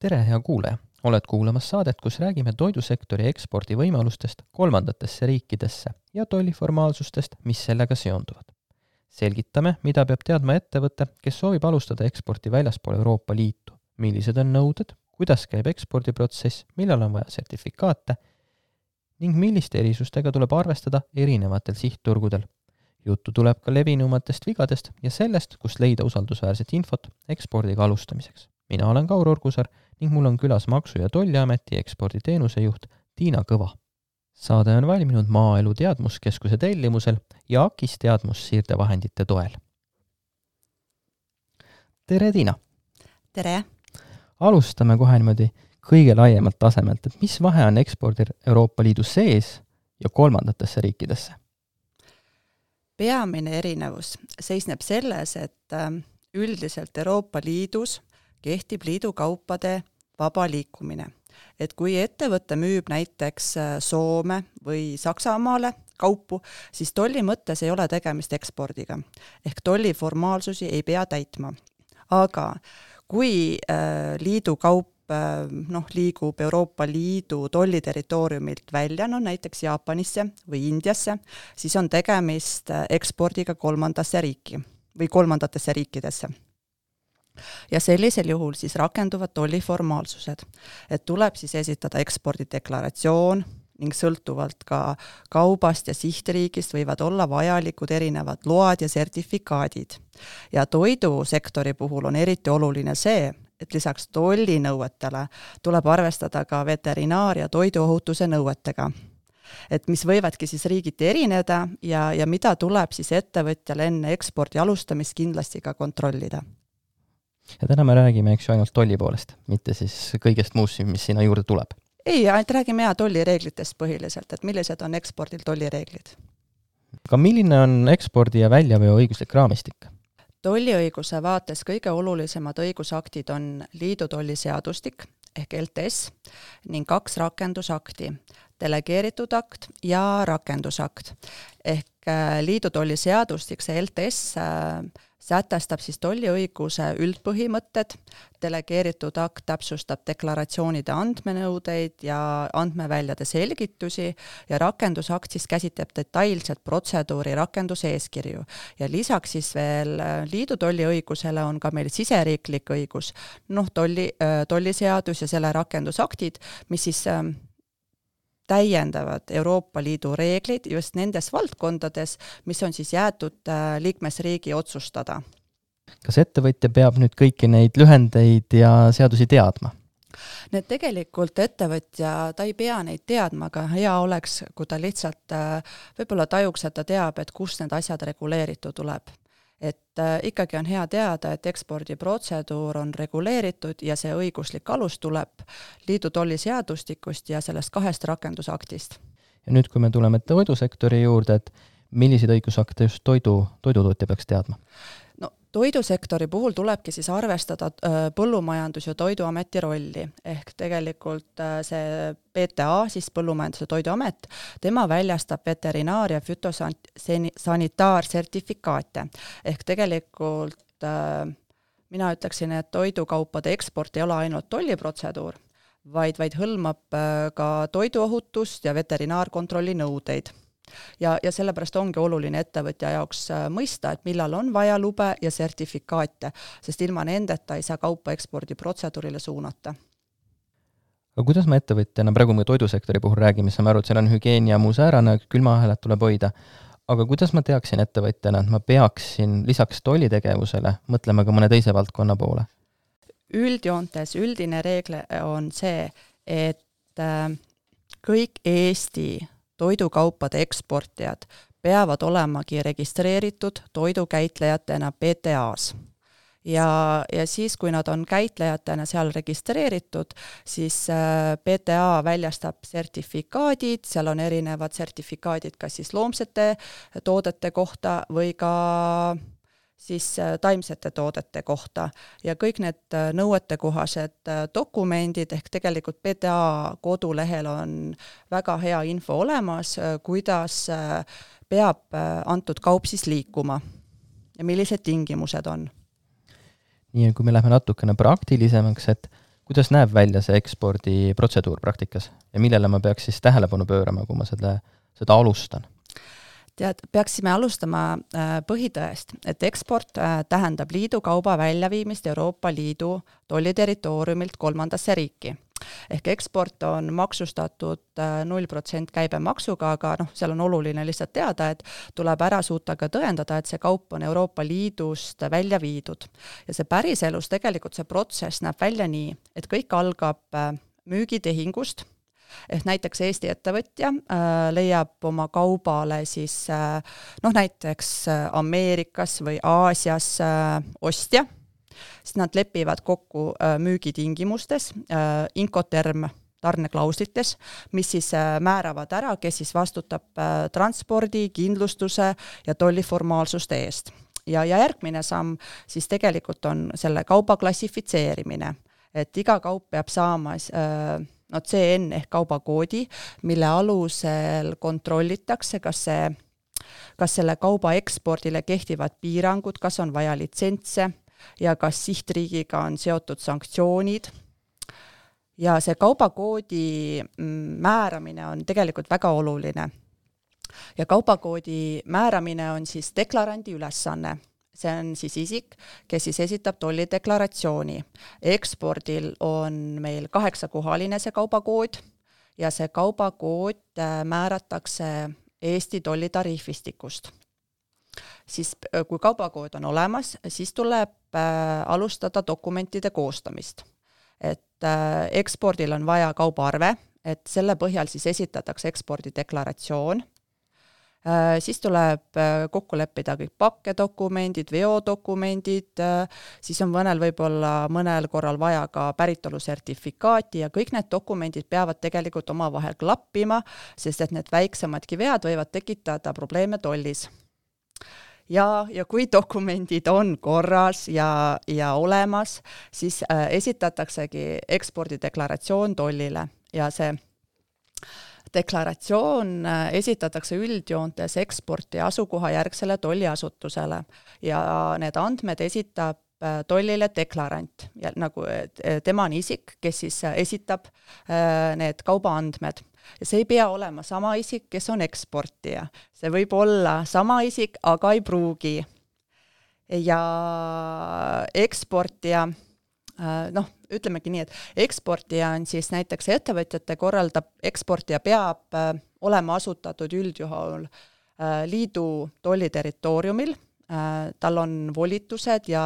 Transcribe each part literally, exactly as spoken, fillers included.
Tere, hea kuulaja! Oled kuulamas saadet, kus räägime toidusektori ekspordi võimalustest kolmandatesse riikidesse ja tolliformaalsustest, mis sellega seonduvad. Selgitame, mida peab teadma ettevõte, kes soovib alustada eksporti väljaspool Euroopa Liitu, millised on nõuded, kuidas käib ekspordiprotsess, millal on vaja sertifikaate ning milliste erisustega tuleb arvestada erinevatel sihtturgudel. Juttu tuleb ka levinumatest vigadest ja sellest, kust leida usaldusväärset infot ekspordiga alustamiseks. Mina olen Kaur Orgusar ning mul on külas Maksu- ja Tolliameti eksporditeenuse juht Tiina Kõva. Saade on valminud Maaelu Teadmuskeskuse tellimusel ja A K I S teadmussiirdevahendite toel. Tere, Tiina! Tere! Alustame kohe niimoodi kõige laiemalt tasemelt, et mis vahe on ekspordir Euroopa Liidu sees ja kolmandatesse riikidesse? Peamine erinevus seisneb selles, et üldiselt Euroopa Liidus kehtib liidu kaupade vaba liikumine. Et kui ettevõte müüb näiteks Soome või Saksamaale kaupu, siis tolli mõttes ei ole tegemist ekspordiga. Ehk tolliformaalsusi ei pea täitma. Aga kui liidu kaup noh, liigub Euroopa Liidu tolliterritooriumilt välja, no näiteks Jaapanisse või Indiasse, siis on tegemist ekspordiga kolmandasse riiki või kolmandatesse riikidesse. Ja sellisel juhul siis rakenduvad tolliformaalsused, et tuleb siis esitada ekspordideklaratsioon ning sõltuvalt ka kaubast ja sihtriigist võivad olla vajalikud erinevad load ja sertifikaadid. Ja toidusektori puhul on eriti oluline see, et lisaks tollinõuetele tuleb arvestada ka veterinaar- ja toiduohutuse nõuetega, et mis võivadki siis riigiti erineda ja, ja mida tuleb siis ettevõtjal enne ekspordi alustamist kindlasti ka kontrollida. Ja täna me räägime eks ju ainult tolli poolest, mitte siis kõigest muust, mis sinna juurde tuleb. Ei, ainult räägime ja tollireeglitest põhiliselt, et millised on ekspordil tollireeglid. Aga milline on ekspordi ja väljaveo õiguslik raamistik? Tolliõiguse vaates kõige olulisemad õigusaktid on liidu tolliseadustik ehk L T S ning kaks rakendusakti, delegeeritud akt ja rakendusakt. Ehk liidu tolliseadustik, see L T S sätestab siis tolliõiguse üldpõhimõtted, delegeeritud akt täpsustab deklaratsioonide andmenõudeid ja andmeväljade selgitusi ja rakendusakt siis käsitleb detailset protseduuri rakenduseeskirju. Ja lisaks siis veel liidu tolliõigusele on ka meil siseriiklik õigus, noh tolli, tolliseadus ja selle rakendusaktid, mis siis täiendavad Euroopa Liidu reeglid just nendes valdkondades, mis on siis jäetud liikmesriigi otsustada. Kas ettevõtja peab nüüd kõiki neid lühendeid ja seadusi teadma? Need tegelikult ettevõtja, ta ei pea neid teadma, aga hea oleks, kui ta lihtsalt võib-olla tajuks, et ta teab, et kus need asjad reguleeritud tuleb. Et ikkagi on hea teada, et ekspordiprotseduur on reguleeritud ja see õiguslik alus tuleb liidu tolliseadustikust ja sellest kahest rakendusaktist. Ja nüüd, kui me tuleme toidusektori juurde, et milliseid õigusakte just toidu, toidutootja peaks teadma? No, toidusektori puhul tulebki siis arvestada põllumajandus- ja toiduameti rolli, ehk tegelikult see P T A, siis Põllumajandus- ja Toiduamet, tema väljastab veterinaar- ja fütosanitaarsertifikaate, ehk tegelikult mina ütleksin, et toidukaupade eksport ei ole ainult tolliprotseduur, vaid, vaid hõlmab ka toiduohutust ja veterinaarkontrolli nõudeid. Ja, ja sellepärast ongi oluline ettevõtja jaoks mõista, et millal on vaja lube ja sertifikaate, sest ilma nendeta ei saa kaupa ekspordiprotseduurile suunata. Aga kuidas me ettevõtjana, praegu me toidusektori puhul räägime, saame aru, et seal on hügieen ja muu säärane, külmaahelad tuleb hoida, aga kuidas ma teaksin ettevõtjana, et ma peaksin lisaks tollitegevusele mõtlema ka mõne teise valdkonna poole? Üldjoontes üldine reegle on see, et kõik Eesti toidukaupade eksportijad peavad olemagi registreeritud toidukäitlejatena P T A-s. Ja, ja siis, kui nad on käitlejatena seal registreeritud, siis P T A väljastab sertifikaadid, seal on erinevad sertifikaadid kas siis loomsete toodete kohta või ka siis taimsete toodete kohta ja kõik need nõuetekohased dokumendid ehk tegelikult P T A kodulehel on väga hea info olemas, kuidas peab antud kaup siis liikuma ja millised tingimused on. Nii, kui me läheme natukene praktilisemaks, et kuidas näeb välja see ekspordiprotseduur praktikas ja millele ma peaks siis tähelepanu pöörama, kui ma seda, seda alustan? Tead, peaksime alustama põhitõest, et eksport tähendab liidu kauba väljaviimist Euroopa Liidu tolliterritooriumilt kolmandasse riiki. Ehk eksport on maksustatud null protsenti käibemaksuga, aga noh, seal on oluline lihtsalt teada, et tuleb ära suuta ka tõendada, et see kaup on Euroopa Liidust välja viidud. Ja see päriselus tegelikult see protsess näeb välja nii, et kõik algab müügitehingust, ehk näiteks Eesti ettevõtja äh, leiab oma kaubale siis äh, noh, näiteks Ameerikas või Aasias äh, ostja, siis nad lepivad kokku äh, müügitingimustes, äh, Incoterm tarneklauslites, mis siis äh, määravad ära, kes siis vastutab äh, transpordi, kindlustuse ja tolliformaalsuste eest. Ja, ja järgmine samm siis tegelikult on selle kauba klassifitseerimine, et iga kaup peab saama äh, no C N ehk kaubakoodi, mille alusel kontrollitakse, kas, see, kas selle kauba ekspordile kehtivad piirangud, kas on vaja litsentse ja kas sihtriigiga on seotud sanktsioonid. Ja see kaubakoodi määramine on tegelikult väga oluline. Ja kaubakoodi määramine on siis deklarandi ülesanne. See on siis isik, kes siis esitab tollideklaratsiooni. Ekspordil on meil kaheksakohaline see kaubakood ja see kaubakood määratakse Eesti tollitariifistikust. Siis kui kaubakood on olemas, siis tuleb alustada dokumentide koostamist. Et ekspordil on vaja kaubaarve, et selle põhjal siis esitatakse ekspordideklaratsioon. Siis tuleb kokku leppida kõik pakkedokumendid, veodokumendid, siis on mõnel võib-olla mõnel korral vaja ka päritolusertifikaati ja kõik need dokumendid peavad tegelikult omavahel klappima, sest et need väiksemadki vead võivad tekitada probleeme tollis. Ja, ja kui dokumendid on korras ja, ja olemas, siis äh, esitataksegi ekspordideklaratsioon tollile ja see deklaratsioon esitatakse üldjoontes eksporti asukoha järgsele tolliasutusele ja need andmed esitab tollile deklarant, ja nagu tema on isik, kes siis esitab need kaubaandmed. Ja see ei pea olema sama isik, kes on eksportija. See võib olla sama isik, aga ei pruugi. Ja eksportija noh, ütlemegi nii, et eksportija on siis näiteks ettevõtjate korraldab, eksportija peab äh, olema asutatud üldjuhul äh, liidu tolliterritooriumil, äh, tal on volitused ja,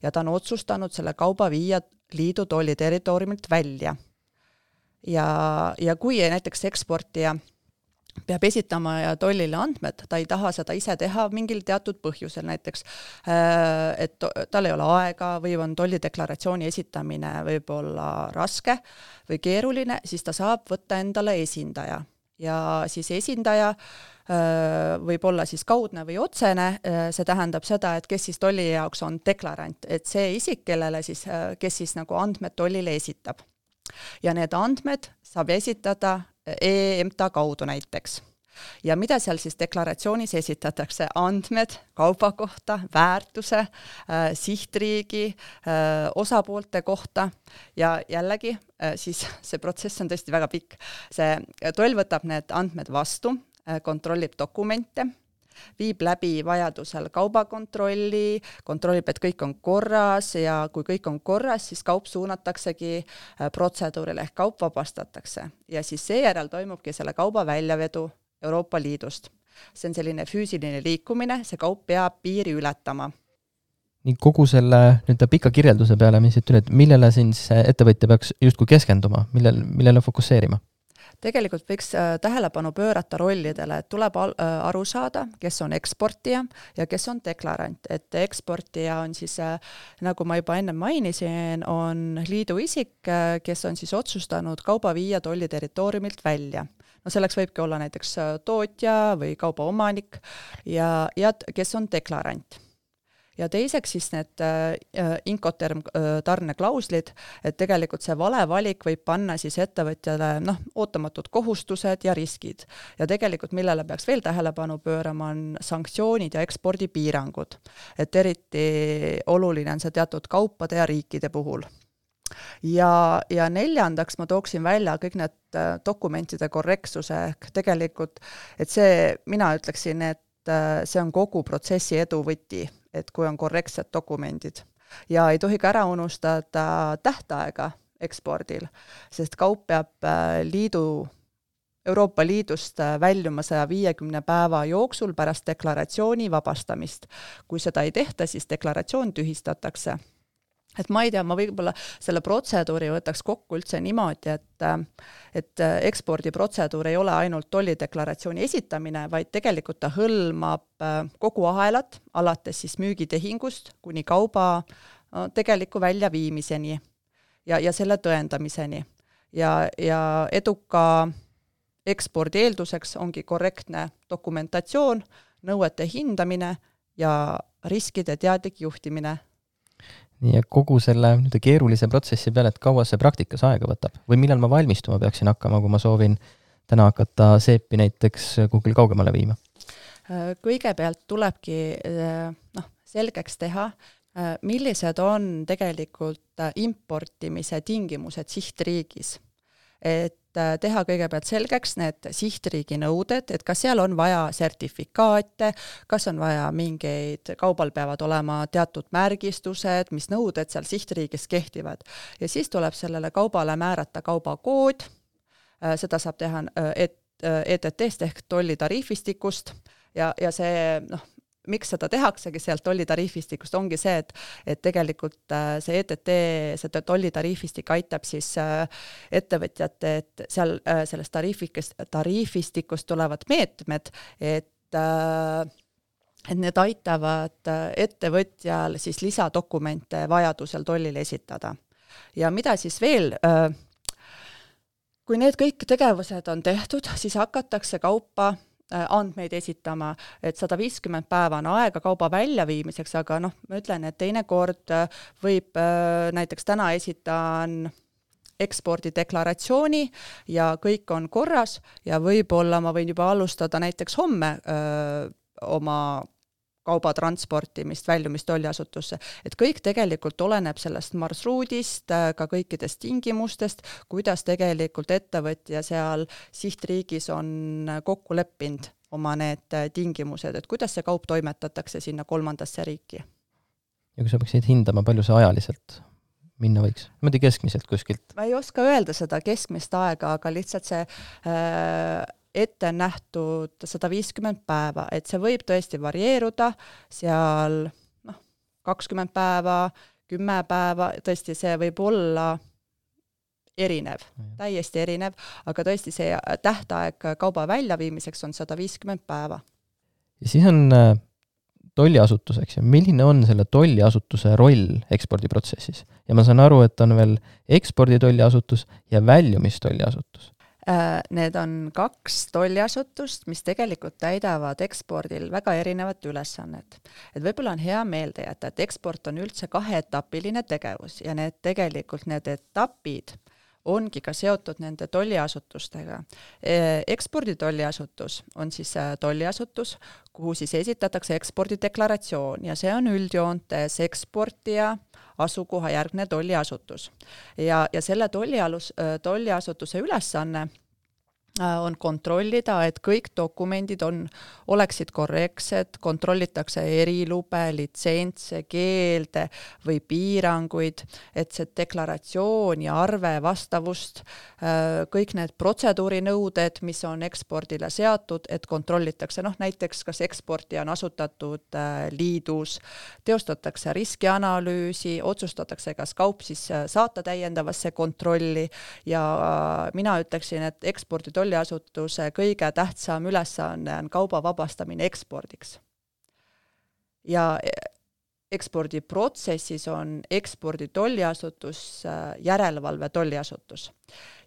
ja ta on otsustanud selle kauba viia liidu tolliterritooriumilt välja. Ja, ja kui näiteks eksportija peab esitama ja tollile andmed, ta ei taha seda ise teha mingil teatud põhjusel, näiteks et tal ei ole aega või on tollideklaratsiooni esitamine võib-olla raske või keeruline, siis ta saab võtta endale esindaja. Ja siis esindaja võib olla siis kaudne või otsene, see tähendab seda, et kes siis tolli jaoks on deklarant, et see isik, kellele siis, kes siis nagu andmed tollile esitab. Ja need andmed saab esitada E M T A kaudu näiteks. Ja mida seal siis deklaratsioonis esitatakse? Andmed kauba kohta, väärtuse, äh, sihtriigi, äh, osapoolte kohta ja jällegi äh, siis see protsess on tõesti väga pikk. See toll võtab need andmed vastu, äh, kontrollib dokumente, viib läbi vajadusel kaubakontrolli, kontrollib, et kõik on korras ja kui kõik on korras, siis kaup suunataksegi protseduurile ehk kaup vabastatakse. Ja siis seejärel toimubki selle kauba väljavedu Euroopa Liidust. See on selline füüsiline liikumine, see kaup peab piiri ületama. Nii kogu selle nüüd pika kirjelduse peale, mis siit üle, et millele siis ettevõtja peaks justkui keskenduma, millele, millele fokusseerima? Tegelikult võiks tähelepanu pöörata rollidele, et tuleb aru saada, kes on eksportija ja kes on deklarant. Et eksportija on siis, nagu ma juba enne mainisin, on liidu isik, kes on siis otsustanud kauba viia tolliterritooriumilt välja. No selleks võibki olla näiteks tootja või kauba omanik ja, ja kes on deklarant. Ja teiseks siis need äh, Incoterm äh, tarneklauslid, et tegelikult see vale valik võib panna siis ettevõtjale noh, ootamatud kohustused ja riskid. Ja tegelikult millele peaks veel tähelepanu pöörama on sanktsioonid ja ekspordipiirangud. Et eriti oluline on see teatud kaupade ja riikide puhul. Ja, ja neljandaks ma tooksin välja kõik need dokumentide korrektsuse, ehk tegelikult, et see, mina ütleksin, et see on kogu protsessi edu võti, et kui on korrektsed dokumendid. Ja ei tohi ka ära unustada tähtaega ekspordil, sest kaup peab liidu, Euroopa Liidust väljuma saja viiekümne päeva jooksul pärast deklaratsiooni vabastamist. Kui seda ei tehta, siis deklaratsioon tühistatakse. Et ma ei tea, ma võib-olla selle protseduuri võtaks kokku üldse niimoodi, et, et ekspordiprotseduur ei ole ainult tollideklaratsiooni esitamine, vaid tegelikult ta hõlmab kogu ahelat, alates siis müügitehingust kuni kauba tegeliku väljaviimiseni ja, ja selle tõendamiseni. Ja, ja eduka ekspordi eelduseks ongi korrektne dokumentatsioon, nõuete hindamine ja riskide teadlik juhtimine. Nii ja kogu selle nüüd keerulise protsessi peale, et kaua see praktikas aega võtab? Või millal ma valmistuma peaksin hakkama, kui ma soovin täna hakata seepi näiteks kuhugil kaugemale viima? Kõigepealt tulebki noh, selgeks teha, millised on tegelikult importimise tingimused sihtriigis. Et teha kõigepealt selgeks need sihtriigi nõuded, et kas seal on vaja sertifikaate, kas on vaja mingeid, kaubal peavad olema teatud märgistused, mis nõuded seal sihtriigis kehtivad. Ja siis tuleb sellele kaubale määrata kaubakood, seda saab teha E T T-st ehk tollitariifistikust ja, ja see, noh, miks seda tehaksegi sealt tollitariifistikust, ongi see, et, et tegelikult see E T T, see tollitariifistik aitab siis ettevõtjate, et seal sellest tariifistikust, tariifistikust tulevad meetmed, et, et need aitavad ettevõtjal siis lisadokumente vajadusel tollile esitada. Ja mida siis veel, kui need kõik tegevused on tehtud, siis hakatakse kaupa andmeid esitama, et sada viiskümmend päeva on aega kauba väljaviimiseks, aga noh, ma ütlen, et teinekord võib näiteks täna esitan ekspordideklaratsiooni ja kõik on korras ja võib-olla ma võin juba alustada näiteks homme öö, oma kauba transportimist, väljumist tolliasutusse. Et kõik tegelikult oleneb sellest marsruudist, ka kõikidest tingimustest, kuidas tegelikult ettevõtja seal sihtriigis on kokku leppinud oma need tingimused, et kuidas see kaup toimetatakse sinna kolmandasse riiki. Ja kui sa peaksid hindama, palju see ajaliselt minna võiks? Ma tea keskmiselt kuskilt. Ma ei oska öelda seda keskmist aega, aga lihtsalt see äh, ette on nähtud sada viiskümmend päeva, et see võib tõesti varieeruda seal noh, kakskümmend päeva, kümme päeva, tõesti see võib olla erinev, täiesti erinev, aga tõesti see tähtaeg kauba väljaviimiseks on sada viiskümmend päeva. Ja siis on tolliasutuseks ja milline on selle tolliasutuse roll ekspordiprotsessis? Ja ma saan aru, et on veel eksporditolliasutus ja väljumistolliasutus. Need on kaks tolliasutust, mis tegelikult täidavad ekspordil väga erinevat ülesannet. Et võib-olla on hea meelde jätta, et eksport on üldse kaheetapiline tegevus ja need tegelikult need etapid ongi ka seotud nende tolliasutustega. Eksporditolliasutus on siis tolliasutus, kuhu siis esitatakse ekspordideklaratsioon ja see on üldjoontes eksportija asukoha järgne tolliasutus. Ja, ja selle tollialus, tolliasutuse ülesanne on kontrollida, et kõik dokumendid on, oleksid korrektsed, kontrollitakse erilube, litsentse, keelde või piiranguid, et see deklaratsioon ja arve vastavust, kõik need protseduurinõuded, mis on ekspordile seatud, et kontrollitakse, noh näiteks kas eksporti on asutatud liidus, teostatakse riskianalüüsi, otsustatakse, kas kaup siis saata täiendavasse kontrolli ja mina ütleksin, et ekspordi tolliasutuse kõige tähtsam ülesanne on kauba vabastamine ekspordiks. Ja ekspordiprotsessis on ekspordi tolliasutus järelevalve tolliasutus.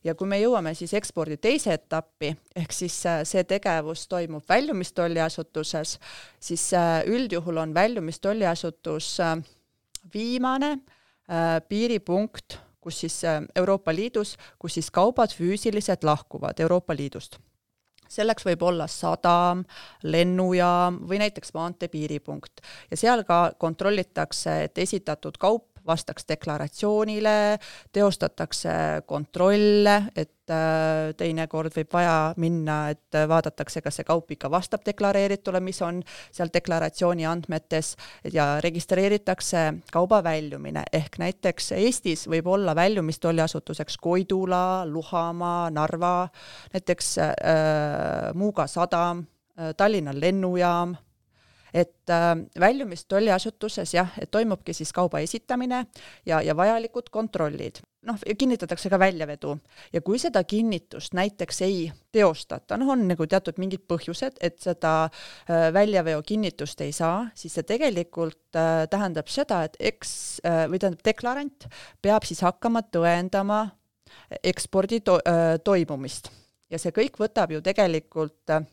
Ja kui me jõuame siis ekspordi teise etappi, ehk siis see tegevus toimub väljumistolliasutuses, siis üldjuhul on väljumistolliasutus viimane piiripunkt, kus siis Euroopa Liidus, kus siis kaubad füüsiliselt lahkuvad Euroopa Liidust. Selleks võib olla sadam, lennujaam või näiteks maantee piiripunkt. Ja seal ka kontrollitakse, et esitatud kaup vastaks deklaratsioonile, teostatakse kontrolle, et teinekord võib vaja minna, et vaadatakse, kas see kaup ikka vastab deklareeritule, mis on seal deklaratsiooni andmetes ja registreeritakse kauba väljumine. Ehk näiteks Eestis võib olla väljumistolliasutuseks Koidula, Luhamaa, Narva, näiteks äh, Muuga sadam, äh, Tallinna lennujaam, et äh, väljumistolliasutuses jah, et toimubki siis kauba esitamine ja, ja vajalikud kontrollid. Noh, kinnitatakse ka väljavedu ja kui seda kinnitust näiteks ei teostata, noh on nagu teatud mingid põhjused, et seda äh, väljaveo kinnitust ei saa, siis see tegelikult äh, tähendab seda, et eks, äh, või tähendab deklarant peab siis hakkama tõendama ekspordi to- äh, toimumist ja see kõik võtab ju tegelikult äh,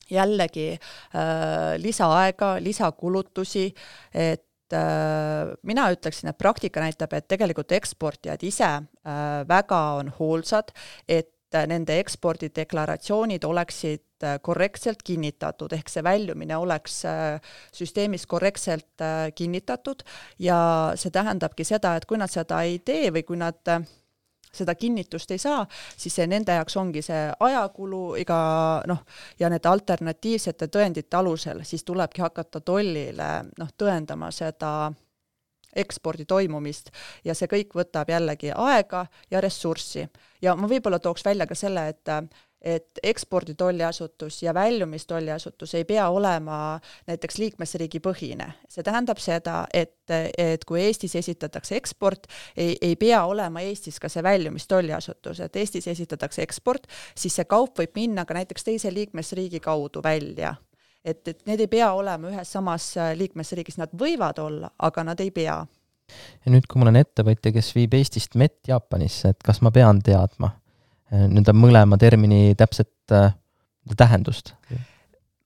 jällegi äh, lisaaega, lisakulutusi, et äh, mina ütleksin, et praktika näitab, et tegelikult eksportijad ise äh, väga on hoolsad, et äh, nende ekspordideklaratsioonid oleksid äh, korrektselt kinnitatud, ehk see väljumine oleks äh, süsteemis korrektselt äh, kinnitatud ja see tähendabki seda, et kui nad seda ei tee või kui nad äh, seda kinnitust ei saa, siis see nende jaoks ongi see ajakulu iga, noh, ja need alternatiivsete tõendite alusel, siis tulebki hakata tollile noh, tõendama seda ekspordi toimumist ja see kõik võtab jällegi aega ja ressurssi. Ja ma võib-olla tooks välja ka selle, et et eksporditolliasutus ja väljumistolliasutus ei pea olema näiteks liikmesriigi põhine. See tähendab seda, et, et kui Eestis esitatakse eksport, ei, ei pea olema Eestis ka see väljumistolliasutus, et Eestis esitatakse eksport, siis see kaup võib minna ka näiteks teise liikmesriigi kaudu välja. Et, et need ei pea olema ühes samas liikmesriigis, nad võivad olla, aga nad ei pea. Ja nüüd, kui mul on ettevõtja, kes viib Eestist mett Jaapanisse, et kas ma pean teadma nüüd on mõlema termini täpset äh, tähendust?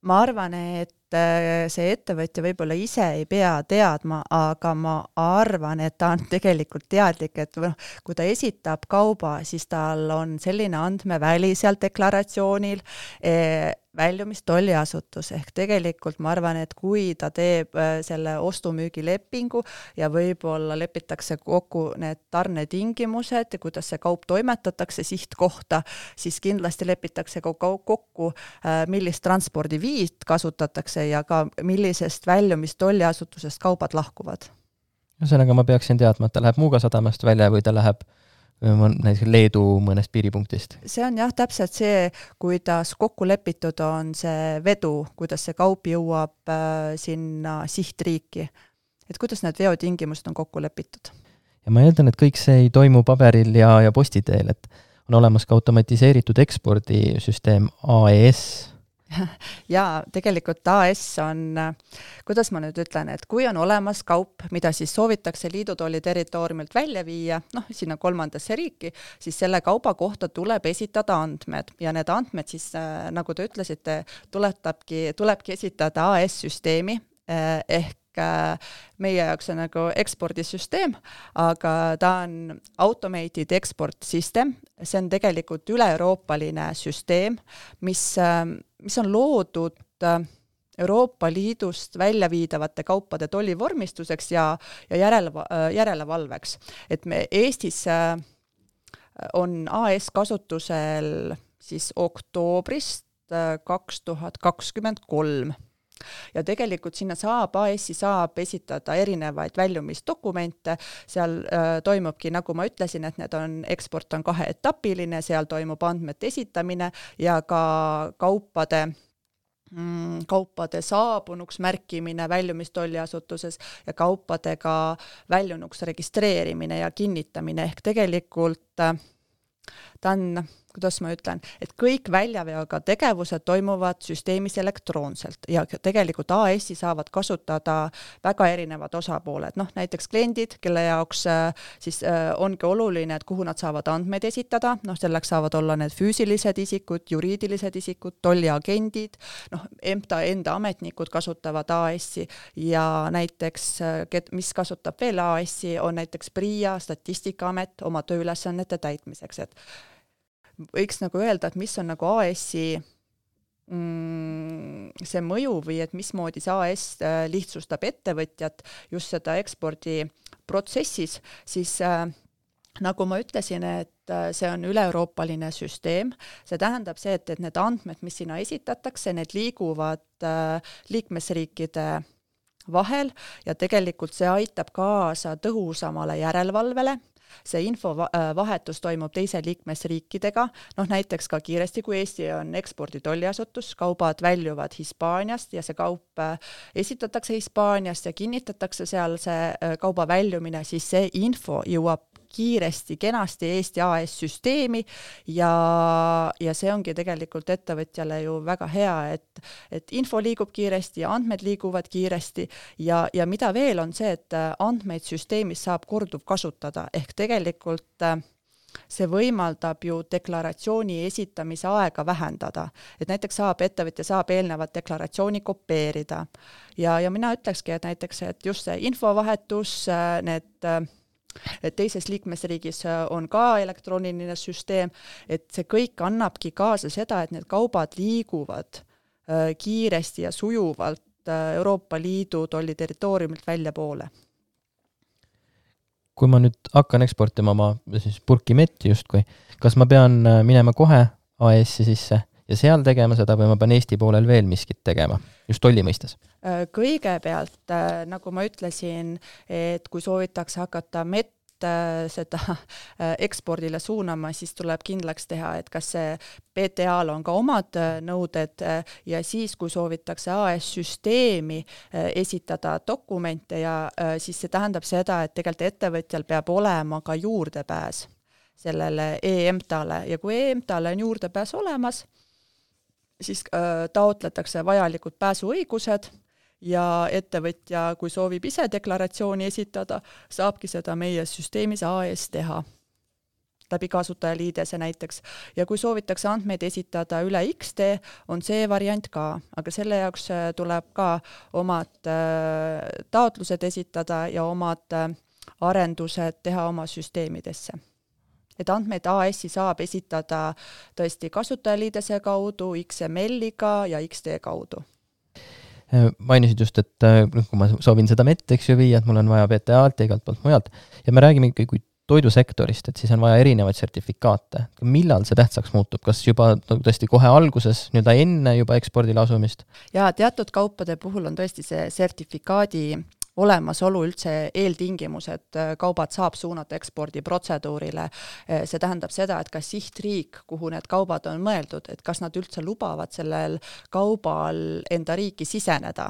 Ma arvan, et see ettevõtja võib-olla ise ei pea teadma, aga ma arvan, et ta on tegelikult teadlik, et noh, kui ta esitab kauba, siis tal on selline andmeväli seal deklaratsioonil, eh, väljumistolliasutus, ehk tegelikult ma arvan, et kui ta teeb selle ostumüügilepingu ja võib-olla lepitakse kokku need tarnetingimused, kuidas see kaup toimetatakse sihtkohta, siis kindlasti lepitakse kokku, millist transpordiviit kasutatakse ja ka millisest väljumistolliasutusest kaubad lahkuvad. Ühesõnaga ma peaksin teadma, et ta läheb Muuga sadamast välja või ta läheb näiteks Leedu mõnest piiripunktist. See on jah täpselt see, kuidas kokku lepitud on see vedu, kuidas see kaup jõuab äh, sinna sihtriiki. Et kuidas need veotingimused on kokku lepitud. Ja ma eeldan, et kõik see ei toimu paberil ja, ja postiteel, et on olemas ka automatiseeritud ekspordisüsteem A E S. Ja tegelikult A S on, kuidas ma nüüd ütlen, et kui on olemas kaup, mida siis soovitakse liidutolli territooriumilt välja viia, noh, sinna kolmandasse riiki, siis selle kauba kohta tuleb esitada andmed ja need andmed siis, nagu te ütlesite, tuletabki, tulebki esitada A S-süsteemi ehk meie jaoks on nagu ekspordisüsteem, aga ta on automated export system, see on tegelikult üle-euroopaline süsteem, mis, mis on loodud Euroopa Liidust välja viidavate kaupade tollivormistuseks ja, ja järele, järelevalveks. Et me Eestis on A S kasutusel siis oktoobrist kaks tuhat kakskümmend kolm. Ja tegelikult sinna saab, A S-i saab esitada erinevaid väljumisdokumente, seal äh, toimubki, nagu ma ütlesin, et need on, eksport on kaheetapiline, seal toimub andmete esitamine ja ka kaupade mm, kaupade saabunuks märkimine väljumistolliasutuses ja kaupadega väljunuks registreerimine ja kinnitamine, ehk tegelikult äh, ta on, kuidas ma ütlen, et kõik väljaveoga tegevused toimuvad süsteemis elektroonselt ja tegelikult A S-i saavad kasutada väga erinevad osapooled, noh näiteks kliendid, kelle jaoks siis ongi oluline, et kuhu nad saavad andmeid esitada, noh selleks saavad olla need füüsilised isikud, juriidilised isikud, tolliagendid, noh M T A enda ametnikud kasutavad A S-i ja näiteks, mis kasutab veel A S-i, on näiteks PRIA, Statistikaamet oma tööülesannete täitmiseks, et võiks nagu öelda, et mis on nagu A S-i mm, see mõju või et mismoodi see A S lihtsustab ettevõtjat just seda ekspordi protsessis, siis äh, nagu ma ütlesin, et see on üle-euroopaline süsteem, see tähendab see, et, et need andmed, mis sinna esitatakse, need liiguvad äh, liikmesriikide vahel ja tegelikult see aitab kaasa tõhusamale järelevalvele. See infovahetus toimub teise liikmesriikidega, noh näiteks ka kiiresti, kui Eesti on eksporditolliasutus, kaubad väljuvad Hispaaniast ja see kaup esitatakse Hispaaniast ja kinnitatakse seal see kauba väljumine, siis see info jõuab kiiresti, kenasti Eesti A S süsteemi ja, ja see ongi tegelikult ettevõtjale ju väga hea, et, et info liigub kiiresti ja andmed liiguvad kiiresti ja, ja mida veel on see, et andmeid süsteemis saab korduv kasutada, ehk tegelikult see võimaldab ju deklaratsiooni esitamise aega vähendada, et näiteks saab ettevõtja saab eelnevat deklaratsiooni kopeerida ja, ja mina ütlekski, et näiteks, et just see infovahetus, need et teises liikmesriigis on ka elektrooniline süsteem, et see kõik annabki kaasa seda, et need kaubad liiguvad kiiresti ja sujuvalt Euroopa Liidu tolli territooriumilt välja poole. Kui ma nüüd hakkan eksportima oma siis purki metti justkui, kas ma pean minema kohe A S-i sisse ja seal tegema seda või ma pean Eesti poolel veel miskit tegema, just tolli mõistes? Kõigepealt, nagu ma ütlesin, et kui soovitakse hakata mett seda ekspordile suunama, siis tuleb kindlaks teha, et kas see P T A-l on ka omad nõuded ja siis, kui soovitakse A S-süsteemi esitada dokumente ja siis see tähendab seda, et tegelikult ettevõtjal peab olema ka juurdepääs sellele E-EMTA-le ja kui E-EMTA-le on juurdepääs olemas, siis taotletakse vajalikud pääsuõigused ja ettevõtja, kui soovib ise deklaratsiooni esitada, saabki seda meie süsteemis A S teha läbi kasutajaliidese näiteks. Ja kui soovitakse andmeid esitada üle X D, on see variant ka, aga selle jaoks tuleb ka omad taotlused esitada ja omad arendused teha oma süsteemidesse. Et andmeid A S-i saab esitada tõesti kasutajaliidese kaudu, X M L-iga ja X D kaudu. Mainisid just, et kui ma soovin seda mett, eks ju viia, et mul on vaja P T A-lt ja igalt poolt mujalt ja me räägime ikkagi kui toidusektorist, et siis on vaja erinevaid sertifikaate. Millal see tähtsaks muutub? Kas juba tõesti kohe alguses, nüüd enne juba ekspordile asumist? Ja teatud kaupade puhul on tõesti see sertifikaadi olemasolu üldse eeltingimus, et kaubad saab suunata ekspordiprotseduurile. See tähendab seda, et kas sihtriik, kuhu need kaubad on mõeldud, et kas nad üldse lubavad sellel kaubal enda riiki siseneda.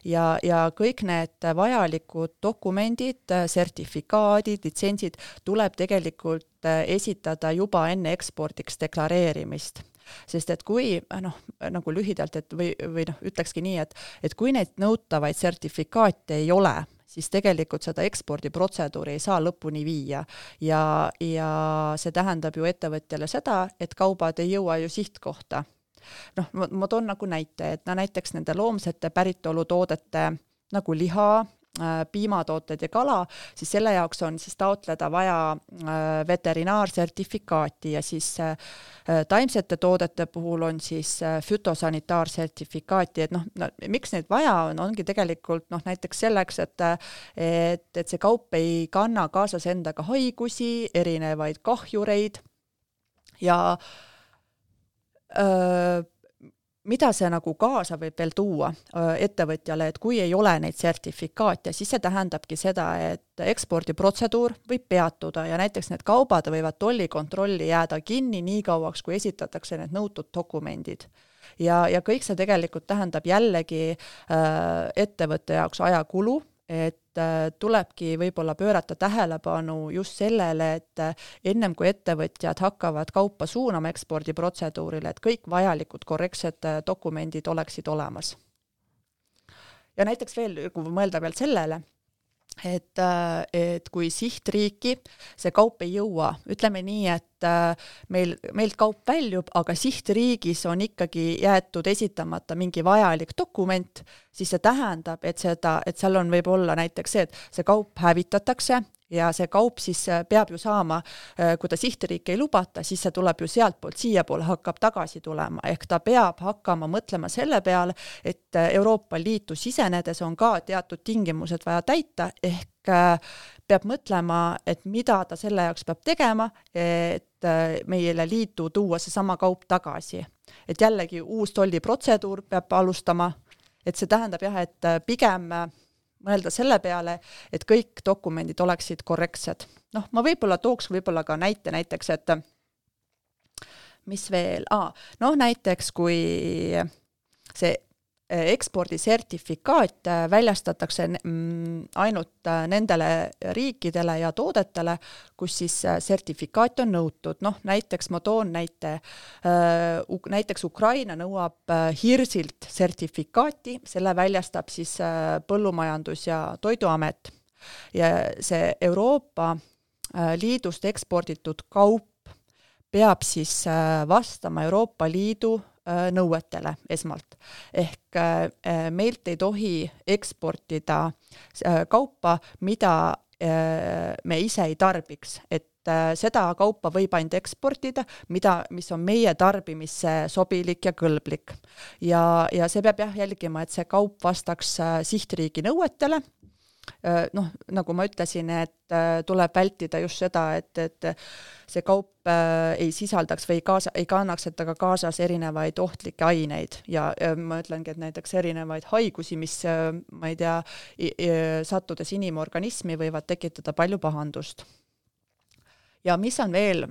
Ja, ja kõik need vajalikud dokumendid, sertifikaadid, litsentsid tuleb tegelikult esitada juba enne ekspordiks deklareerimist. Sest et kui, noh, nagu lühidalt, et või, või noh, ütlekski nii, et, et kui neid nõutavaid sertifikaate ei ole, siis tegelikult seda ekspordiprotseduuri ei saa lõpuni viia. Ja, ja see tähendab ju ettevõtjale seda, et kaubad ei jõua ju sihtkohta. Noh, ma, ma toon nagu näite, et no, näiteks nende loomsete päritolutoodete nagu liha, piimatooted ja kala, siis selle jaoks on siis taotleda vaja veterinaarsertifikaati ja siis taimsete toodete puhul on siis fütosanitaarsertifikaati, et noh, no, miks neid vaja on, ongi tegelikult noh, näiteks selleks, et, et, et see kaup ei kanna kaasas endaga haigusi, erinevaid kahjureid ja öö, mida see nagu kaasa võib veel tuua ettevõtjale, et kui ei ole neid sertifikaate, siis see tähendabki seda, et ekspordiprotseduur võib peatuda ja näiteks need kaubad võivad tollikontrolli jääda kinni nii kauaks, kui esitatakse need nõutud dokumendid. Ja, ja kõik see tegelikult tähendab jällegi ettevõtte jaoks ajakulu, et tulebki võib-olla pöörata tähelepanu just sellele, et ennem kui ettevõtjad hakkavad kaupa suunama ekspordiprotseduurile, et kõik vajalikud korrektsed dokumendid oleksid olemas. Ja näiteks veel, kui mõelda veel sellele, et, et kui sihtriiki see kaup ei jõua, ütleme nii, et meil, meilt kaup väljub, aga sihtriigis on ikkagi jäetud esitamata mingi vajalik dokument, siis see tähendab, et, seda, et seal on võib olla näiteks see, et see kaup hävitatakse ja see kaup siis peab ju saama, kui ta sihtriiki ei lubata, siis see tuleb ju sealt poolt siia poole, hakkab tagasi tulema, ehk ta peab hakkama mõtlema selle peale, et Euroopa Liitu sisenedes on ka teatud tingimused vaja täita, ehk peab mõtlema, et mida ta selle jaoks peab tegema, et meile liitu tuua see sama kaup tagasi. Et jällegi uus tolliprotseduur peab alustama, et see tähendab jah, et pigem mõelda selle peale, et kõik dokumendid oleksid korrektsed. Noh, ma võib-olla tooks võib-olla ka näite näiteks, et mis veel, ah, noh näiteks kui see ekspordisertifikaat väljastatakse ainult nendele riikidele ja toodetele, kus siis sertifikaat on nõutud. Noh, näiteks ma toon näite, näiteks Ukraina nõuab hirsilt sertifikaati, selle väljastab siis Põllumajandus- ja Toiduamet. Ja see Euroopa Liidust eksporditud kaup peab siis vastama Euroopa Liidu nõuetele esmalt. Ehk meilt ei tohi eksportida kaupa, mida me ise ei tarbiks. Et seda kaupa võib ainult eksportida, mida, mis on meie tarbimisse sobilik ja kõlblik. Ja, ja see peab jah jälgima, et see kaup vastaks sihtriigi nõuetele. Noh, nagu ma ütlesin, et tuleb vältida just seda, et, et see kaup ei sisaldaks või kaasa, ei kannaks, et aga kaasas erinevaid ohtlikke aineid ja ma ütlengi, et näiteks erinevaid haigusi, mis ma ei tea, sattudes inimorganismi võivad tekitada palju pahandust. Ja mis on veel,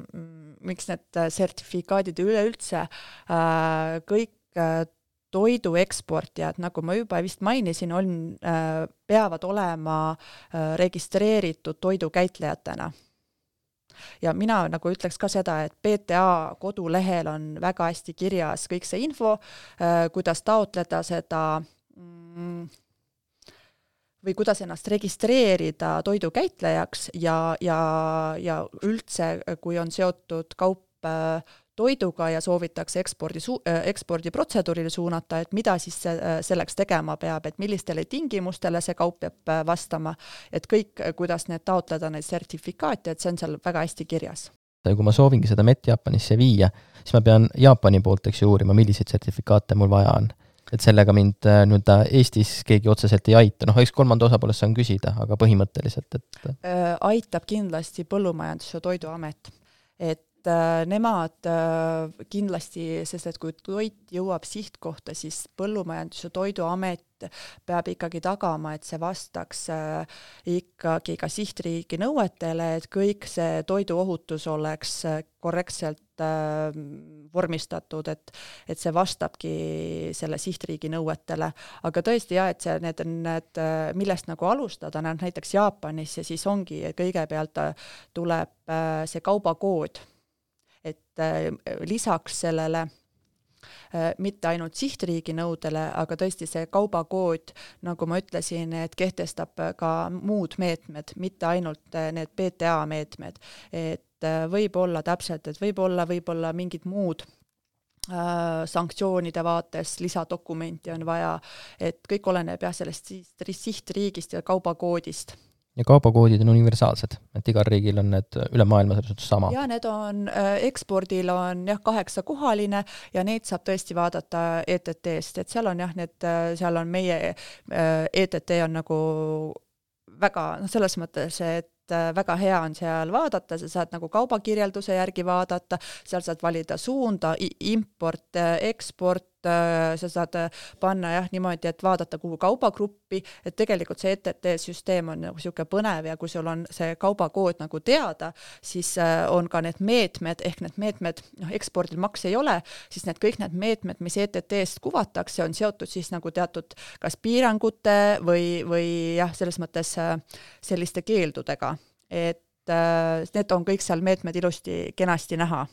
miks need sertifikaadid üleüldse kõik toidu eksportijad, nagu ma juba vist mainisin, on, peavad olema registreeritud toidukäitlejatena. Ja mina nagu ütleks ka seda, et P T A kodulehel on väga hästi kirjas kõik see info, kuidas taotleda seda või kuidas ennast registreerida toidukäitlejaks ja, ja, ja üldse, kui on seotud kaup toiduga ja soovitakse ekspordi, ekspordiprotseduurile suunata, et mida siis selleks tegema peab, et millistele tingimustele see kaup peab vastama, et kõik, kuidas need taotleda neid sertifikaate, et see on seal väga hästi kirjas. Kui ma soovingi seda mett Jaapanisse viia, siis ma pean Jaapani poolt eks uurima, milliseid sertifikaate mul vaja on. Et sellega mind nüüd Eestis keegi otseselt ei aita. Noh, eks kolmanda osapoolest saan küsida, aga põhimõtteliselt, et... Aitab kindlasti Põllumajandus- ja Toiduamet, et nemad kindlasti, sest et kui toit jõuab sihtkohta, siis Põllumajandus- ja Toiduamet peab ikkagi tagama, et see vastaks ikkagi ka sihtriigi nõuetele, et kõik see toiduohutus oleks korrektselt vormistatud, et, et see vastabki selle sihtriigi nõuetele. Aga tõesti jah, et see, need on need, millest nagu alustada, näiteks Jaapanis ja siis ongi, kõigepealt tuleb see kaubakood, et lisaks sellele mitte ainult sihtriigi nõudele, aga tõesti see kaubakood, nagu ma ütlesin, et kehtestab ka muud meetmed, mitte ainult need P T A meetmed, et võib olla täpselt, et võib olla, võib olla mingid muud sanktsioonide vaates, lisadokumenti on vaja, et kõik oleneb jah sellest sihtriigist ja kaubakoodist. Ja kaubakoodid on universaalsed, et igal riigil on need üle maailma selles sama. Ja need on, ekspordil on jah kaheksa kohaline ja neid saab tõesti vaadata E T T-st, et seal on jah, need, seal on meie E T T on nagu väga, no selles mõttes, et väga hea on seal vaadata, sa saad nagu kaubakirjelduse järgi vaadata, seal saad valida suunda, import, eksport, sa saad panna jah niimoodi, et vaadata kuhu kaubagruppi, et tegelikult see E T T-süsteem on nagu siuke põnev ja kui sul on see kaubakood nagu teada, siis on ka need meetmed, ehk need meetmed, noh ekspordil maks ei ole, siis need kõik need meetmed, mis E T T-st kuvatakse, on seotud siis nagu teatud kas piirangute või, või jah, selles mõttes selliste keeldudega, et need on kõik seal meetmed ilusti kenasti näha.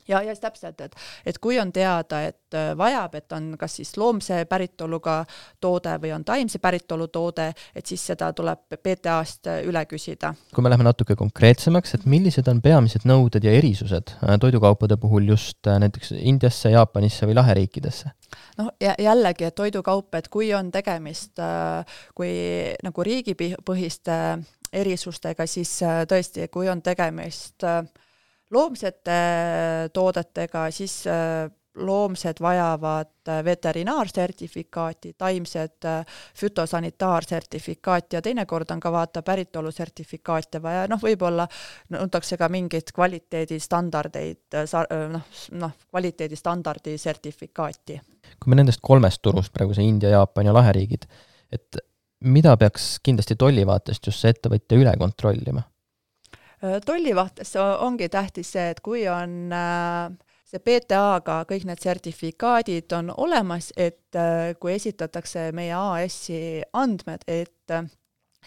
Ja, ja täpselt, et, et kui on teada, et vajab, et on kas siis loomse päritoluga toode või on taimse päritolu toode, et siis seda tuleb P T A-st üle küsida. Kui me läheme natuke konkreetsemaks, et millised on peamised nõuded ja erisused toidukaupade puhul just näiteks Indiasse, Jaapanisse või laheriikidesse? No jällegi, et toidukaup, et kui on tegemist kui nagu riigipõhiste erisustega, siis tõesti, kui on tegemist loomsete toodetega, siis loomsed vajavad veterinaarsertifikaati, taimsed fütosanitaarsertifikaati ja teinekord on ka vaata päritolusertifikaate vaja, noh võib-olla nõutakse ka mingit kvaliteedistandardeid, noh, noh, kvaliteedistandardi sertifikaati. Kui me nendest kolmest turust, praegu see India, Jaapan ja laheriigid, et mida peaks kindlasti tollivaatest just see ettevõtja üle kontrollima? Tollivaates ongi tähtis see, et kui on see P T A-ga kõik need sertifikaadid on olemas, et kui esitatakse meie A S-i andmed, et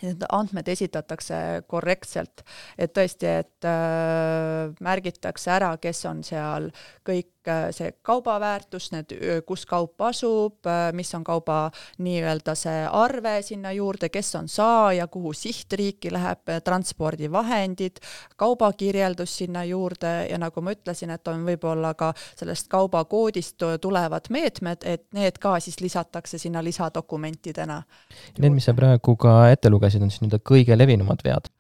need andmed esitatakse korrektselt, et tõesti, et märgitakse ära, kes on seal kõik see kaubaväärtus, need, kus kaup asub, mis on kauba nii-öelda see arve sinna juurde, kes on saaja, kuhu sihtriiki läheb, transpordivahendid, kaubakirjeldus sinna juurde ja nagu ma ütlesin, et on võib-olla ka sellest kaubakoodist tulevad meetmed, et need ka siis lisatakse sinna lisadokumentidena. Need, mis sa praegu ka ette lugesid, on siis nüüd kõige levinumad vead?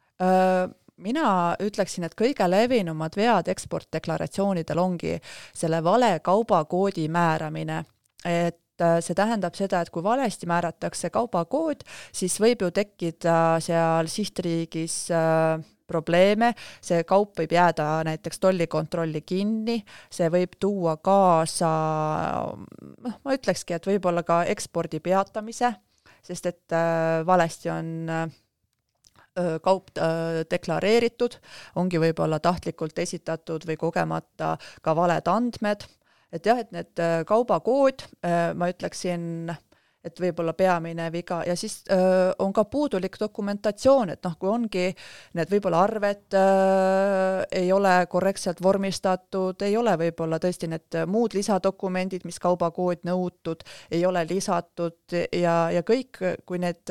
Mina ütleksin, et kõige levinumad vead eksportdeklaratsioonidel ongi selle vale kaubakoodi määramine, et see tähendab seda, et kui valesti määratakse kaubakood, siis võib ju tekkida seal sihtriigis probleeme, see kaup võib jääda näiteks tollikontrolli kinni, see võib tuua kaasa, ma ütlekski, et võib-olla ka ekspordi peatamise, sest et valesti on kaup deklareeritud, ongi võib-olla tahtlikult esitatud või kogemata ka valed andmed. Et jah, et need kaubakood, ma ütleksin, et võib-olla peamine viga ja siis on ka puudulik dokumentatsioon, et noh, kui ongi need võib-olla arved ei ole korrektselt vormistatud, ei ole võib-olla tõesti need muud lisadokumendid, mis kaubakood nõutud, ei ole lisatud ja, ja kõik, kui need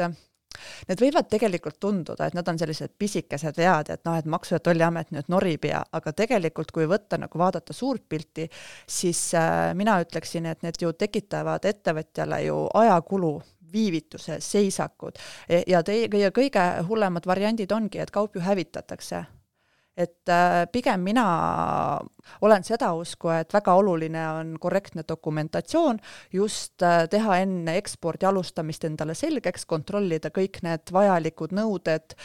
Need võivad tegelikult tunduda, et nad on sellised pisikesed vead, et noh, et Maksu- ja Tolliamet nüüd norib ja, aga tegelikult kui võtta, nagu vaadata suurt pilti, siis mina ütleksin, et need ju tekitavad ettevõtjale ju ajakulu, viivituse, seisakud ja te, kõige hullemad variandid ongi, et kaup ju hävitatakse. Et pigem mina olen seda usku, et väga oluline on korrektne dokumentatsioon, just teha enne ekspordi alustamist endale selgeks, kontrollida kõik need vajalikud nõuded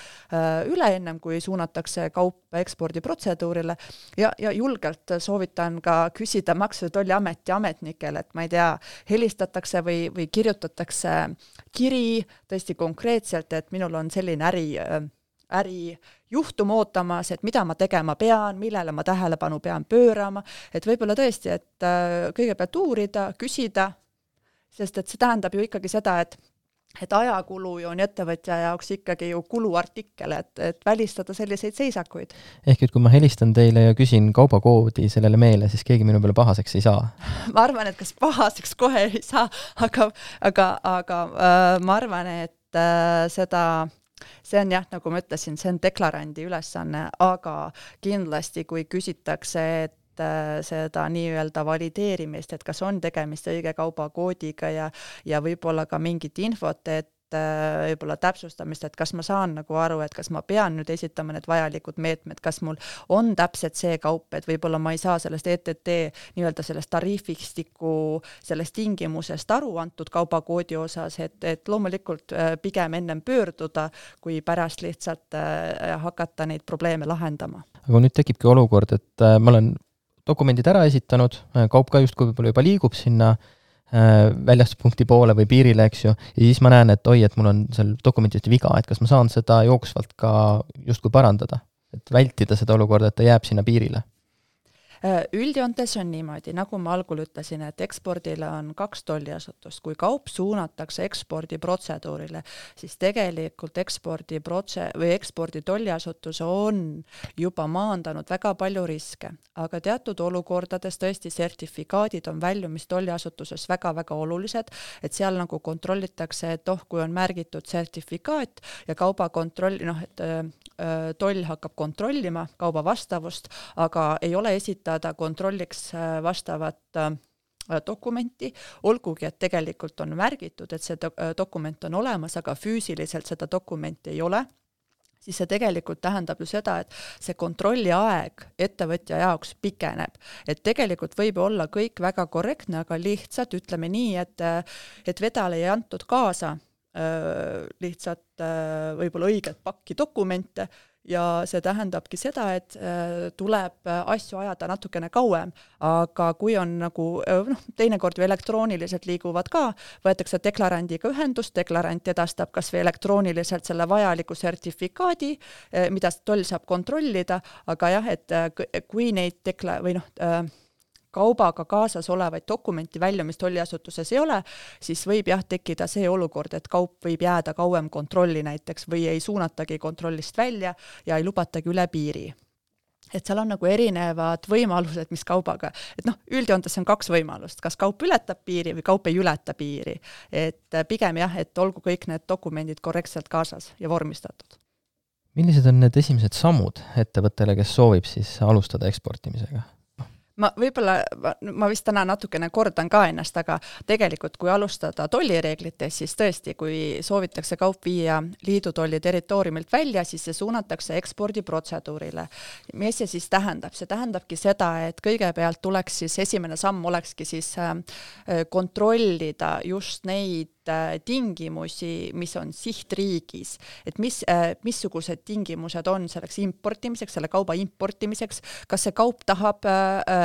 üle ennem, kui suunatakse kaup ekspordiprotseduurile ja, ja julgelt soovitan ka küsida Maksu- ja Tolliameti ametnikel, et ma ei tea, helistatakse või, või kirjutatakse kiri tõesti konkreetselt, et minul on selline äri äri juhtum ootamas, et mida ma tegema pean, millele ma tähelepanu pean pöörama, et võib-olla tõesti, et kõigepealt uurida, küsida, sest et see tähendab ju ikkagi seda, et, et ajakulu ju on ettevõtja jaoks ikkagi ju kuluartikkel, et, et välistada selliseid seisakuid. Ehk et kui ma helistan teile ja küsin kaubakoodi sellele meele, siis keegi minu peale pahaseks ei saa? Ma arvan, et kas pahaseks kohe ei saa, aga, aga, aga äh, ma arvan, et äh, seda see on jah, nagu ma ütlesin, see on deklarandi ülesanne, aga kindlasti kui küsitakse, et seda nii-öelda valideerimist, et kas on tegemist õige kaubakoodiga ja, ja võib-olla ka mingit infot, et võib-olla täpsustamist, et kas ma saan nagu aru, et kas ma pean nüüd esitama need vajalikud meetmed, kas mul on täpselt see kaup, et võib-olla ma ei saa sellest E T T nii-öelda sellest tariifistiku, sellest tingimusest aru antud kaubakoodi osas, et, et loomulikult pigem ennem pöörduda, kui pärast lihtsalt hakata neid probleeme lahendama. Aga nüüd tekibki olukord, et ma olen dokumendid ära esitanud, kaup ka justkui võib-olla juba liigub sinna väljastuspunkti poole või piirile, eks ju, ja siis ma näen, et oi, et mul on seal dokumentidest viga, et kas ma saan seda jooksvalt ka justkui parandada, et vältida seda olukorda, et ta jääb sinna piirile. Üldjoontes on niimoodi, nagu ma algul ütlesin, et ekspordile on kaks tolliasutust. Kui kaup suunatakse ekspordiprotseduurile, siis tegelikult ekspordi protse- või ekspordi tolliasutus on juba maandanud väga palju riske, aga teatud olukordades tõesti sertifikaadid on väljumist tolliasutuses väga-väga olulised, et seal nagu kontrollitakse, et oh, kui on märgitud sertifikaat ja kauba kontrolli, noh, et äh, toll hakkab kontrollima kauba vastavust, aga ei ole esitatud ta kontrolliks vastavat dokumenti, olgugi, et tegelikult on märgitud, et see dokument on olemas, aga füüsiliselt seda dokumenti ei ole. siis see tegelikult tähendab ju seda, et see kontrolli aeg ettevõtja jaoks pikeneb. Et tegelikult võib olla kõik väga korrektne, aga lihtsalt ütleme nii, et, et vedale ei antud kaasa lihtsalt võib-olla õiget pakki dokumente ja see tähendabki seda, et tuleb asju ajada natukene kauem, aga kui on nagu, noh, teinekord ju elektrooniliselt liiguvad ka, võetakse deklarandiga ühendust, deklarant edastab kas või elektrooniliselt selle vajaliku sertifikaadi, mida toll saab kontrollida, aga jah, et kui neid dekla- või noh, kaubaga kaasas olevaid dokumenti väljumist tolliasutuses ei ole, siis võib jah tekkida see olukord, et kaup võib jääda kauem kontrolli näiteks või ei suunatagi kontrollist välja ja ei lubatagi üle piiri. Et seal on nagu erinevad võimalused, mis kaubaga, et noh, üldjoontes on kaks võimalust, kas kaup ületab piiri või kaup ei ületa piiri. Et pigem jah, et olgu kõik need dokumendid korrektselt kaasas ja vormistatud. Millised on need esimesed sammud ettevõttele, kes soovib siis alustada eksportimisega? Ma võib-olla, ma vist täna natukene kordan ka ennast, aga tegelikult kui alustada tollireeglites, siis tõesti, kui soovitakse kaup viia liidu tolli territooriumilt välja, siis see suunatakse ekspordiprotseduurile. Mis see siis tähendab? See tähendabki seda, et kõigepealt tuleks siis, esimene samm olekski siis kontrollida just neid tingimusi, mis on sihtriigis, et mis, missugused tingimused on selleks importimiseks, selle kauba importimiseks, kas see kaup tahab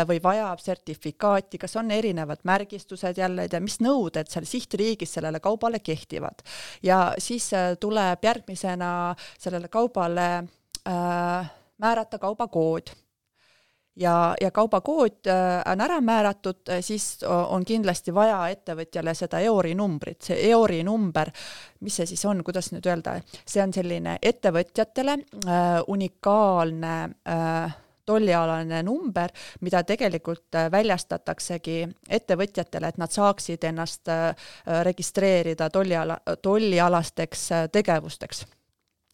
või vajab sertifikaati, kas on erinevad märgistused jälle ja mis nõuded seal sihtriigis sellele kaubale kehtivad. Ja siis tuleb järgmisena sellele kaubale äh, määrata kaubakood. Ja, ja kaubakood on ära määratud, siis on kindlasti vaja ettevõtjale seda E O R I numbrit. See E O R I number, mis see siis on, kuidas nüüd öelda, see on selline ettevõtjatele äh, unikaalne äh, tollialane number, mida tegelikult väljastataksegi ettevõtjatele, et nad saaksid ennast äh, registreerida tolliala, tollialasteks tegevusteks.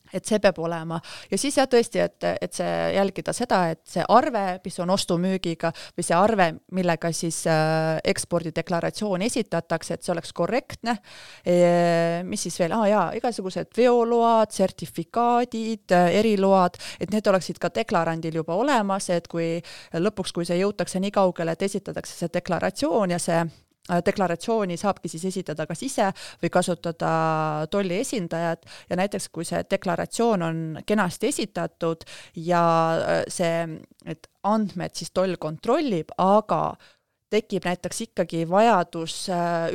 Et see peab olema. Ja siis jah tõesti, et, et see jälgida seda, et see arve, mis on ostumüügiga või see arve, millega siis äh, ekspordideklaratsioon esitatakse, et see oleks korrektne. E, mis siis veel? Ah, jaa, igasugused veoload, sertifikaadid, eriload, et need oleksid ka deklarandil juba olemas, et kui lõpuks, kui see jõutakse nii kaugele, et esitatakse see deklaratsioon ja see deklaratsiooni saabki siis esitada kas ise või kasutada tolli esindajad ja näiteks kui see deklaratsioon on kenasti esitatud ja see, et andmed siis toll kontrollib, aga tekib näiteks ikkagi vajadus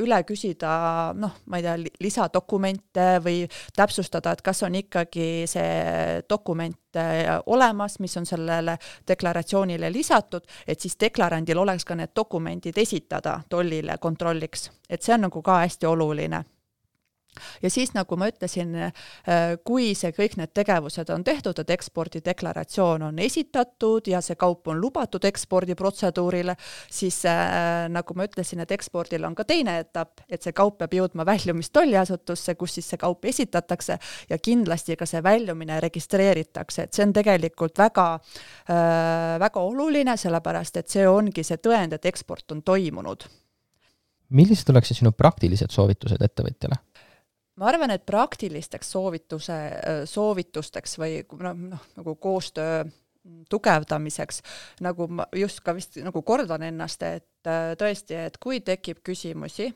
üle küsida, noh, ma ei tea, lisadokumente või täpsustada, et kas on ikkagi see dokument olemas, mis on sellele deklaratsioonile lisatud, et siis deklarandil oleks ka need dokumendid esitada tollile kontrolliks. Et see on nagu ka hästi oluline. Ja siis, nagu ma ütlesin, kui see kõik need tegevused on tehtud, et ekspordideklaratsioon on esitatud ja see kaup on lubatud ekspordiprotseduurile, siis nagu ma ütlesin, et ekspordil on ka teine etapp, et see kaup peab jõudma väljumist tolliasutusse, kus siis see kaup esitatakse ja kindlasti ka see väljumine registreeritakse, et see on tegelikult väga, väga oluline, sellepärast et see ongi see tõend, et eksport on toimunud. Millised oleksid sinu praktilised soovitused ettevõtjale? Ma arvan, et praktilisteks soovituse, soovitusteks või noh, noh, nagu koostöö tugevdamiseks, nagu ma just ka vist nagu kordan ennast, et tõesti, et kui tekib küsimusi,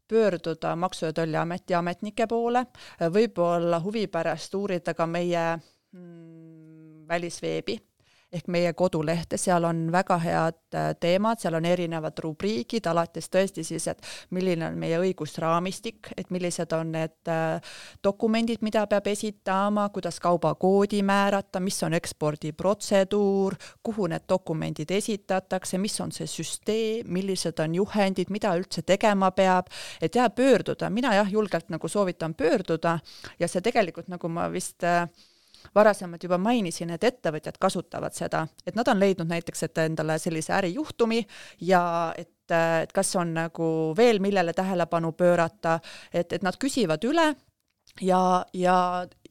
pöörduda Maksu- ja Tolliameti ametnike poole, võib-olla huvi pärast uurida ka meie mm, välisveebi, ehk meie kodulehte, seal on väga head teemad, seal on erinevad rubriigid, alates tõesti siis, et milline on meie õigusraamistik, et millised on need dokumendid, mida peab esitama, kuidas kaubakoodi määrata, mis on ekspordiprotseduur, kuhu need dokumendid esitatakse, mis on see süsteem, millised on juhendid, mida üldse tegema peab, et jah, pöörduda, mina jah, julgelt nagu soovitan pöörduda ja see tegelikult nagu ma vist varasemalt juba mainisin, et ettevõtjad kasutavad seda, et nad on leidnud näiteks, et endale sellise ärijuhtumi ja et, et kas on nagu veel millele tähelepanu pöörata, et, et nad küsivad üle ja, ja,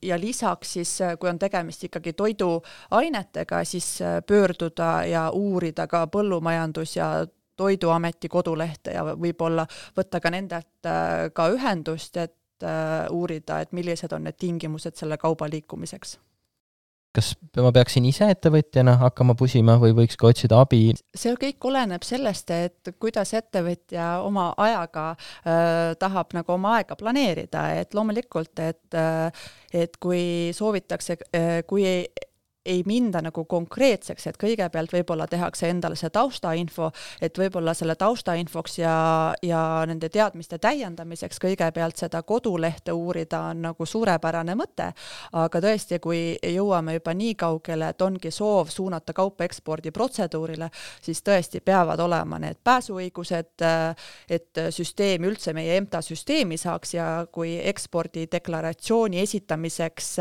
ja lisaks siis, kui on tegemist ikkagi toiduainetega, siis pöörduda ja uurida ka põllumajandus- ja Toiduameti kodulehte ja võib-olla võtta ka nendelt ka ühendust, et uurida, et millised on need tingimused selle kauba liikumiseks. kas ma peaksin ise ettevõtjana hakkama pusima või võiks ka otsida abi? See kõik oleneb sellest, et kuidas ettevõtja oma ajaga äh, tahab nagu oma aega planeerida, et loomulikult, et, äh, et kui soovitakse, äh, kui ei ei minda nagu konkreetseks, et kõigepealt võib-olla tehakse endale see taustainfo, et võib-olla selle taustainfoks ja, ja nende teadmiste täiendamiseks kõigepealt seda kodulehte uurida on nagu suurepärane mõte, aga tõesti, kui jõuame juba nii kaugele, et ongi soov suunata kaupa ekspordiprotseduurile, siis tõesti peavad olema need pääsuõigused, et süsteem üldse meie EMTA süsteemi saaks ja kui ekspordideklaratsiooni esitamiseks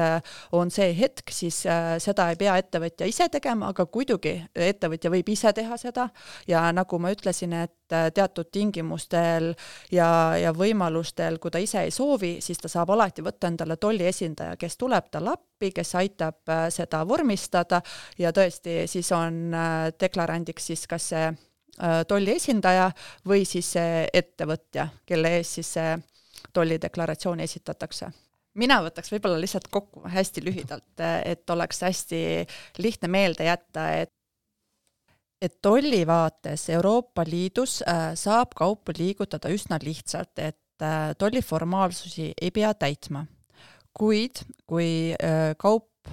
on see hetk, siis seda ei pea ettevõtja ise tegema, aga kuidagi ettevõtja võib ise teha seda ja nagu ma ütlesin, et teatud tingimustel ja, ja võimalustel, kui ta ise ei soovi, siis ta saab alati võtta endale tolli esindaja, kes tuleb tal appi, kes aitab seda vormistada ja tõesti siis on deklarandiks siis kas see tolli esindaja või siis see ettevõtja, kelle ees siis see tollideklaratsioon esitatakse. Mina võtaks võib-olla lihtsalt kokku hästi lühidalt, et oleks hästi lihtne meelde jätta, et, et tolli vaates Euroopa Liidus saab kaupu liigutada üsna lihtsalt, et tolliformaalsusi ei pea täitma. Kuid kui kaup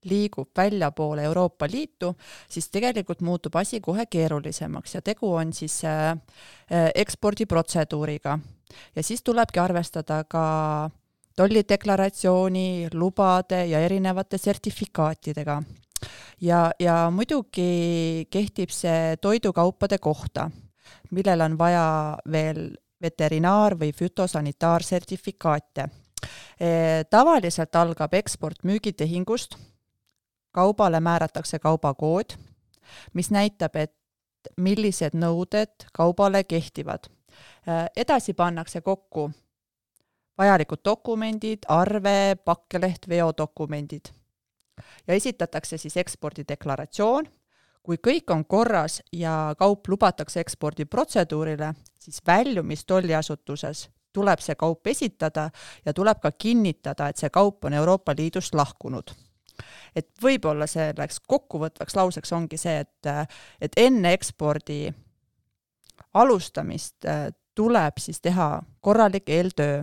liigub välja poole Euroopa Liitu, siis tegelikult muutub asi kohe keerulisemaks ja tegu on siis ekspordiprotseduuriga. Ja siis tulebki arvestada ka tollideklaratsiooni, lubade ja erinevate sertifikaatidega. Ja, ja muidugi kehtib see toidukaupade kohta, millel on vaja veel veterinaar- või fütosanitaarsertifikaate. E, tavaliselt algab eksport müügitehingust, kaubale määratakse kaubakood, mis näitab, et millised nõuded kaubale kehtivad. E, edasi pannakse kokku vajalikud dokumendid, arve, pakkeleht, veodokumendid. Ja esitatakse siis ekspordideklaratsioon. Kui kõik on korras ja kaup lubatakse ekspordiprotseduurile, siis väljumis tolliasutuses tuleb see kaup esitada ja tuleb ka kinnitada, et see kaup on Euroopa Liidust lahkunud. Et võib-olla selleks kokkuvõtvaks lauseks ongi see, et, et enne ekspordi alustamist tuleb siis teha korralik eeltöö.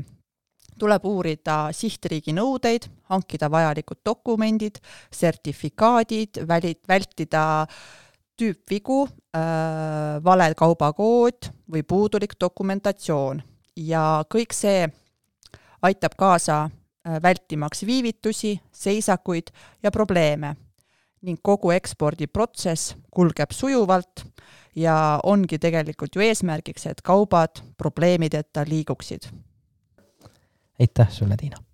Tuleb uurida sihtriigi nõudeid, hankida vajalikud dokumendid, sertifikaadid, vältida tüüpvigu, äh, vale kaubakood või puudulik dokumentatsioon. Ja kõik see aitab kaasa äh, vältimaks viivitusi, seisakuid ja probleeme. Ning kogu ekspordiprotsess kulgeb sujuvalt ja ongi tegelikult ju eesmärgiks, et kaubad probleemideta liiguksid. Aitäh sulle, Tiina!